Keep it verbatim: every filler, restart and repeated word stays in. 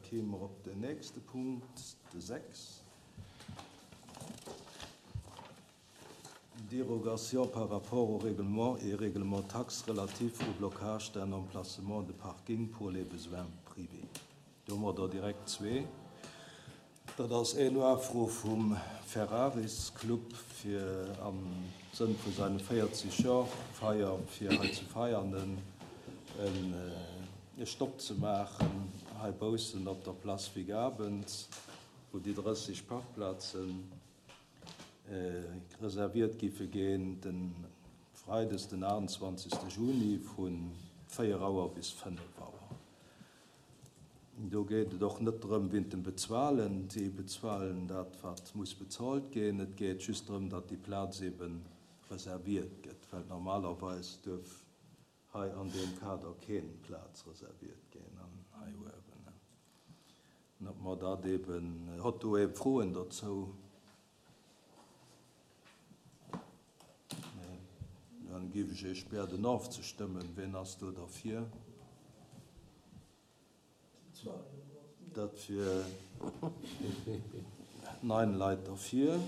Da kéime mer op den nächste Punkt, de sechs. Dérogation par rapport au règlement et règlement taxe relatif au blocage d'un emplacement de parking pour les besoins privés. Do hu mer der direkt zwee. Dat ass eng Ufro vum Ferraris Club fir am Sënn vu seine véierzeg Joer Feier fir hei ze feiern en e Stopp ze maachen hei baussen op der Place Vigabens, wou déi drësseg Parkplazen reserviert giffe ginn den Freides den achtundzwanzegste Juni vun véier Auer bis fënnef Auer. Do geet et och net drëm wéint dem Bezuelen, si bezuelen dat wat muss bezuelt ginn, et geet just drëm, datt déi Plaz eben reserviert gëtt, well normalerweis duerf hei an deem Kader keen Plaz reserviert ginn an hei uewen. An ob mer dat eben, hott do ee Froen dozou? Nee. Dann géif ech Iech bieden ofzestëmmen. Wien ass do derfir? Dat wier neun Leit derfir.